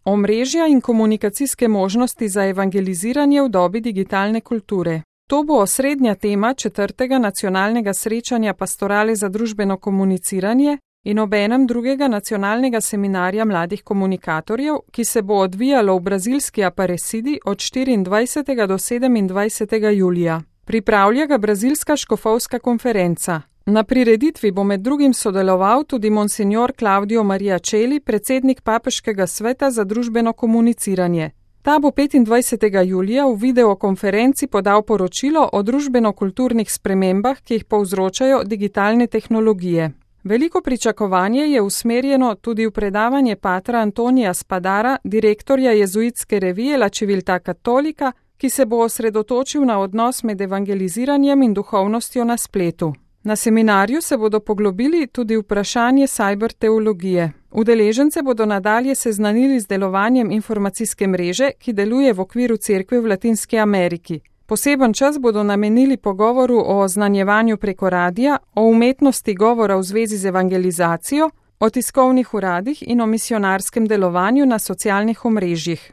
Omrežja in komunikacijske možnosti za evangeliziranje v dobi digitalne kulture. To bo osrednja tema 4. nacionalnega srečanja Pastorale za družbeno komuniciranje in obenem 2. nacionalnega seminarja mladih komunikatorjev, ki se bo odvijalo v brazilski Aparecidi od 24. do 27. julija. Pripravlja ga Brazilska škofovska konferenca. Na prireditvi bo med drugim sodeloval tudi monsignor Claudio Maria Celli, predsednik Papeškega sveta za družbeno komuniciranje. Ta bo 25. julija v videokonferenci podal poročilo o družbeno-kulturnih spremembah, ki jih povzročajo digitalne tehnologije. Veliko pričakovanje je usmerjeno tudi v predavanje patra Antonija Spadara, direktorja jezuitske revije La Civiltà Cattolica, ki se bo osredotočil na odnos med evangeliziranjem in duhovnostjo na spletu. Na seminarju se bodo poglobili tudi vprašanje cyberteologije. Udeležence bodo nadalje seznanili z delovanjem informacijske mreže, ki deluje v okviru cerkve v Latinski Ameriki. Poseben čas bodo namenili pogovoru o oznanjevanju preko radija, o umetnosti govora v zvezi z evangelizacijo, o tiskovnih uradih in o misijonarskem delovanju na socialnih omrežjih.